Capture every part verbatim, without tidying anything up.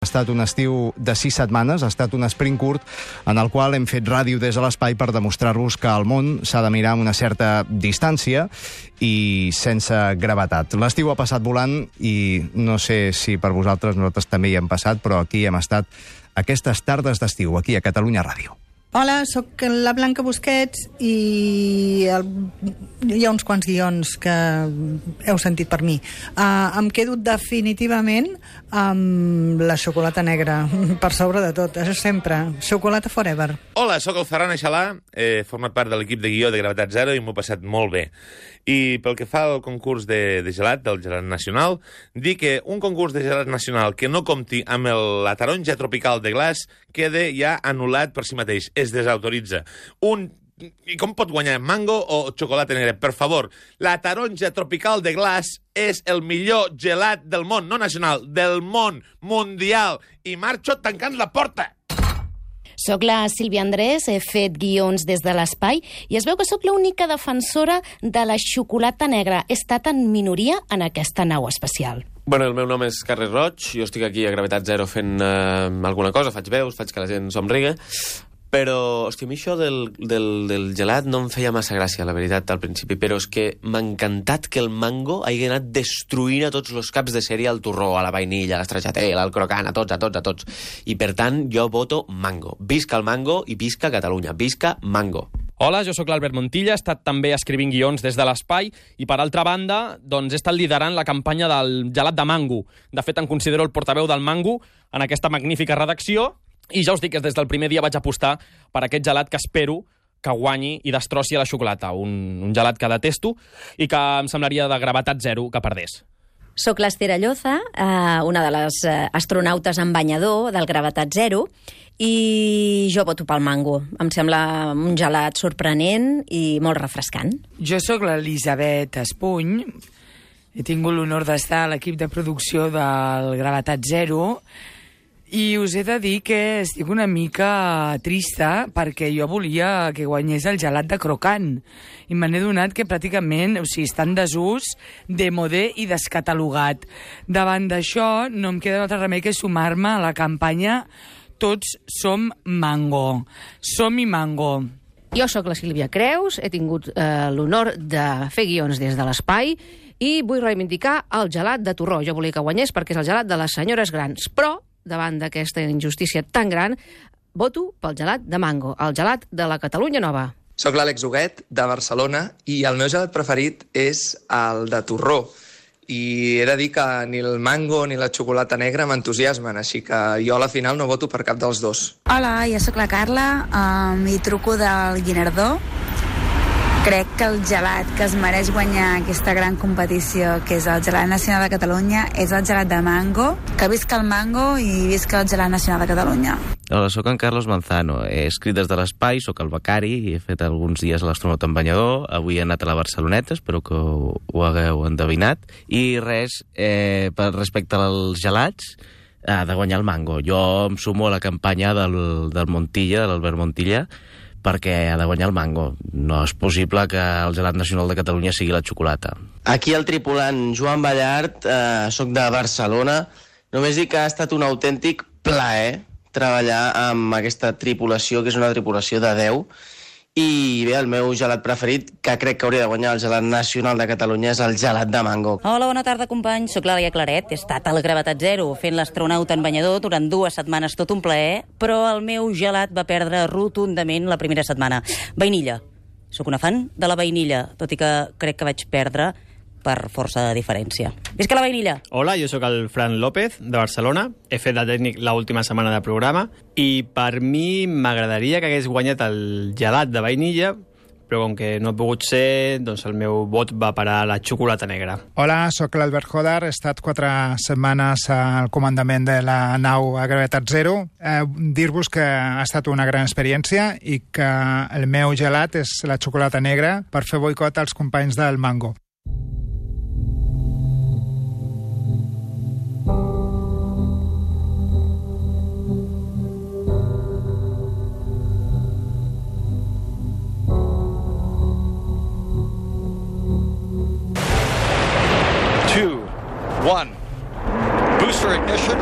Ha estat un estiu de sis setmanes, ha estat un sprint curt en el qual hem fet ràdio des de l'espai per demostrar-vos que el món s'ha de mirar amb una certa distància i sense gravetat. L'estiu ha passat volant i no sé si per vosaltres, nosaltres també hi hem passat, però aquí hem estat aquestes tardes d'estiu, aquí a Catalunya Ràdio. Hola, sóc la Blanca Busquets i el... hi ha uns quants guions que heu sentit per mi. Uh, em quedo definitivament amb la xocolata negra, per sobre de tot, això sempre. Xocolata forever. Hola, sóc el Ferran Aixalà, he format part de l'equip de guió de Gravetat Zero i m'ho he passat molt bé. I pel que fa al concurs de, de gelat, del gelat nacional, dir que un concurs de gelat nacional que no compti amb el, la taronja tropical de glaç queda ja anul·lat per si mateix, es desautoritza. Un I com pot guanyar, mango o xocolata negra? Per favor, la taronja tropical de glaç és el millor gelat del món, no nacional, del món, mundial. I marxo tancant la porta. Soc la Sílvia Andrés, he fet guions des de l'espai i es veu que sóc l'única defensora de la xocolata negra. He estat en minoria en aquesta nau espacial. Bueno, el meu nom és Carles Roig, jo estic aquí a Gravetat Zero fent eh, alguna cosa, faig veus, faig que la gent somriga, però, hòstia, a mi això del, del, del gelat no em feia massa gràcia, la veritat, al principi, però és que m'ha encantat que el mango hagi anat destruint a tots els caps de sèrie, al torró, a la vainilla, a l'estracciatella, al crocant, a tots, a tots, a tots. I, per tant, jo voto mango. Visca el mango i visca Catalunya. Visca mango. Hola, jo sóc l'Albert Montilla, he estat també escrivint guions des de l'espai i, per altra banda, doncs he estat liderant la campanya del gelat de mango. De fet, em considero el portaveu del mango en aquesta magnífica redacció i ja us dic que des del primer dia vaig apostar per aquest gelat que espero que guanyi i destrossi la xocolata. Un, un gelat que detesto i que em semblaria de gravetat zero que perdés. Soc l'Esther Alloza, eh, una de les eh, astronautes en banyador del Gravetat Zero, i jo voto pel mango. Em sembla un gelat sorprenent i molt refrescant. Jo sóc l'Elisabet Espuny, he tingut l'honor d'estar a l'equip de producció del Gravetat Zero, i us he de dir que estic una mica trista perquè jo volia que guanyés el gelat de crocant i me n'he donat que pràcticament, o sigui, està en desús, demodé i descatalogat. Davant d'això no em queda altre remei que sumar-me a la campanya Tots som mango. Som-hi mango. Jo sóc la Sílvia Creus, he tingut eh, l'honor de fer guions des de l'espai i vull reivindicar el gelat de torró. Jo volia que guanyés perquè és el gelat de les senyores grans, però davant d'aquesta injustícia tan gran, voto pel gelat de mango, el gelat de la Catalunya Nova. Soc l'Àlex Huguet, de Barcelona, i el meu gelat preferit és el de torró. I he de dir que ni el mango ni la xocolata negra m'entusiasmen, així que jo a la final no voto per cap dels dos. Hola, jo sóc la Carla, um, i truco del Guinardó. Crec que el gelat que es mereix guanyar aquesta gran competició, que és el gelat nacional de Catalunya, és el gelat de mango. Que visca el mango i visca el gelat nacional de Catalunya. Hola, sóc en Carlos Manzano. He escrit des de l'espai, sóc el becari, i he fet alguns dies a l'astronauta en banyador. Avui he anat a la Barceloneta, espero que ho, ho hagueu endevinat. I res, eh, per respecte als gelats, ha de guanyar el mango. Jo em sumo a la campanya del, del Montilla, de l'Albert Montilla, perquè ha de guanyar el mango. No és possible que el gelat nacional de Catalunya sigui la xocolata. Aquí el tripulant Joan Ballart, eh, soc de Barcelona. Només dic que ha estat un autèntic plaer treballar amb aquesta tripulació, que és una tripulació de deu. I bé, el meu gelat preferit, que crec que hauria de guanyar el gelat nacional de Catalunya, és el gelat de mango. Hola, bona tarda, companys. Soc l'Àlia Claret. He estat al Gravetat Zero fent l'astronauta en banyador durant dues setmanes, tot un plaer, però el meu gelat va perdre rotundament la primera setmana. Vainilla. Sóc una fan de la vainilla, tot i que crec que vaig perdre per força de diferència. Visca la vainilla! Hola, jo sóc el Fran López, de Barcelona. He fet de tècnic l'última setmana de programa i per mi m'agradaria que hagués guanyat el gelat de vainilla, però com que no ha pogut ser, doncs el meu vot va parar a la xocolata negra. Hola, sóc l'Albert Hodar, he estat quatre setmanes al comandament de la nau a Gravetat Zero. Eh, dir-vos que ha estat una gran experiència i que el meu gelat és la xocolata negra per fer boicot als companys del mango. Two, one, booster ignition.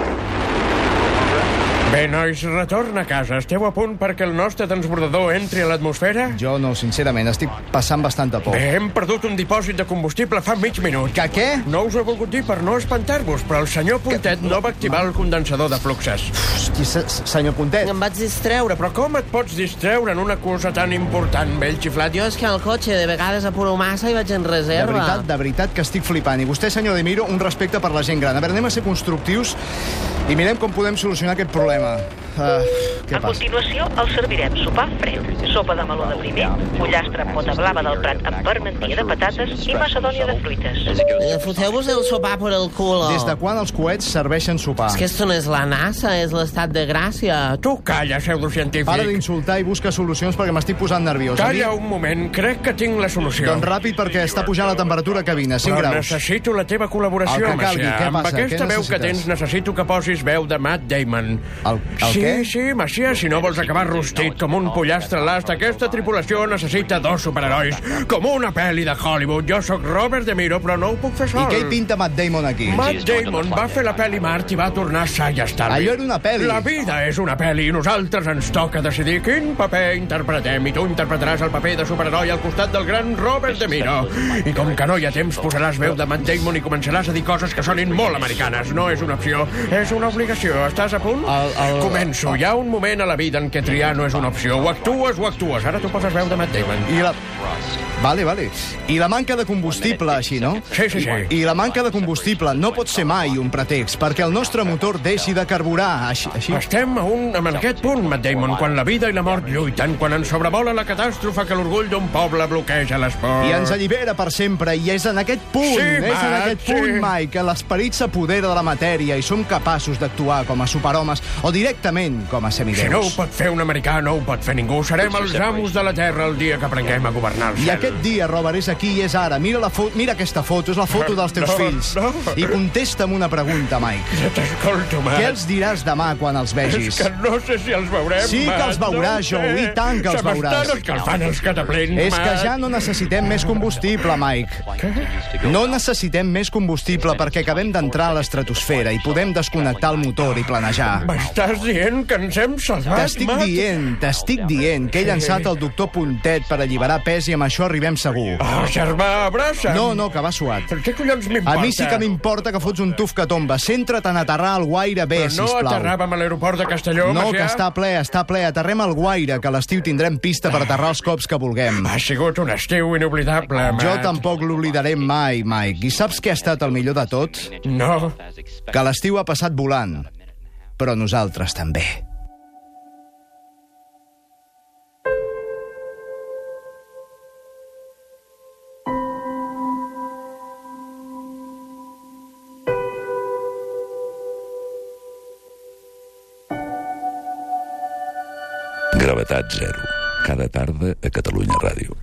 Bé, nois, retorna a casa. Esteu a punt perquè el nostre transbordador entri a l'atmosfera? Jo no, sincerament, estic passant bastanta por. Bé, hem perdut un dipòsit de combustible fa mig minut. Que què? No us ho he volgut dir per no espantar-vos, però el senyor Puntet que... no va activar el condensador de fluxes. Hosti, senyor Puntet. Em vaig distreure. Però com et pots distreure en una cosa tan important, vell xiflat? Jo és que al cotxe de vegades apuro massa i vaig en reserva. De veritat, de veritat que estic flipant. I vostè, senyor De Miro, un respecte per la gent gran. A veure, anem a ser constructius i mirem com podem solucionar aquest problema. Uh, què a passa? continuació, el servirem sopar fred, sopa de meló de primer, pollastre amb pota blava del Prat amb parmentia de patates i macedònia de fruites. Eh, Foteu-vos el sopar per el cul. Des de quan els coets serveixen sopar? És que esto no és la NASA, és l'estat de Gràcia. Tu calla, pseudocientífic. Para d'insultar i busca solucions perquè m'estic posant nerviós. Calla un moment, crec que tinc la solució. Doncs ràpid, perquè està pujant la temperatura a cabina, cinc Però graus. necessito la teva col·laboració, El que calgui, Macià. què Amb passa? aquesta Què veu que necessites? tens necessito que posis veu de Matt Damon. El, el sí, què? sí, Macià, si no vols acabar rostit com un pollastre l'ast, aquesta tripulació necessita dos superherois, com una pel·li de Hollywood. Jo sóc Robert De Niro, però no ho puc fer sol. I què hi pinta Matt Damon aquí? Matt Damon va fer la pel·li Mart i va tornar sa i estalvi. Allò era una pel·li. La vida és una pel·li i nosaltres ens toca decidir quin paper interpretem. I tu interpretaràs el paper de superheroi al costat del gran Robert De Niro. I com que no hi ha temps, posaràs veu de Matt Damon i començaràs a dir coses que sonin molt americanes. No és una opció, és una obligació. Estàs a punt? El, el... Començo. Hi ha un moment a la vida en què triar no és una opció. O actues o actues. Ara tu poses veu de Matt Damon. I la... Vale, vale. I la manca de combustible, així, no? Sí, sí, sí. I la manca de combustible no pot ser mai un pretext perquè el nostre motor deixi de carburar, així. així. Estem a un, en aquest punt, Matt Damon, quan la vida i la mort lluiten, quan ens sobrevola la catàstrofe que l'orgull d'un poble bloqueja l'esport. I ens allibera per sempre, i és en aquest punt, Sí, és en Matt, aquest sí. punt, Mike, que l'esperit s'apodera de la matèria i som capaços d'actuar com a superhomes o directament com a semideus. Si no ho pot fer un americà, no ho pot fer ningú. Serem els amos de la Terra el dia que aprenguem a governar el I cel. aquest dia, Robert, és aquí i és ara. Mira, la fo mira aquesta foto, és la foto dels teus No, fills. no. I contesta'm una pregunta, Mike. Ja t'escolto, Matt. Què els diràs demà quan els vegis? És que no sé si els veurem, Sí que Matt, els veuràs, no Joe, sé. i tant que els Se m'estan veuràs. escalfant els cataplins, És que Matt. ja no necessitem més combustible, Mike. No necessitem més combustible perquè acabem d'entrar a l'estratosfera i podem desconnectar el motor i planejar. M'estàs dient que ens hem salvat, T'estic Matt? dient, t'estic dient que he llançat el doctor Puntet per alliberar pes i amb això arribem segur. Oh, germà, abraça'm. No, no, que va suat. Per què collons m'importa? A mi sí que m'importa que fots un tuf que tomba. Centra't en aterrar al Guaire bé, Però no sisplau. aterràvem a l'aeroport de Castelló, No, Macià? que està ple, està ple. Aterrem al Guaire, que a l'estiu tindrem pista per aterrar els cops que vulguem. Ha sigut un estiu inoblidable, Matt. Jo tampoc l'oblidaré mai, Mike. I saps què ha estat el millor de tot? No. Que l'estiu ha passat volant. Però nosaltres també. Gravetat zero. Cada tarda a Catalunya Ràdio.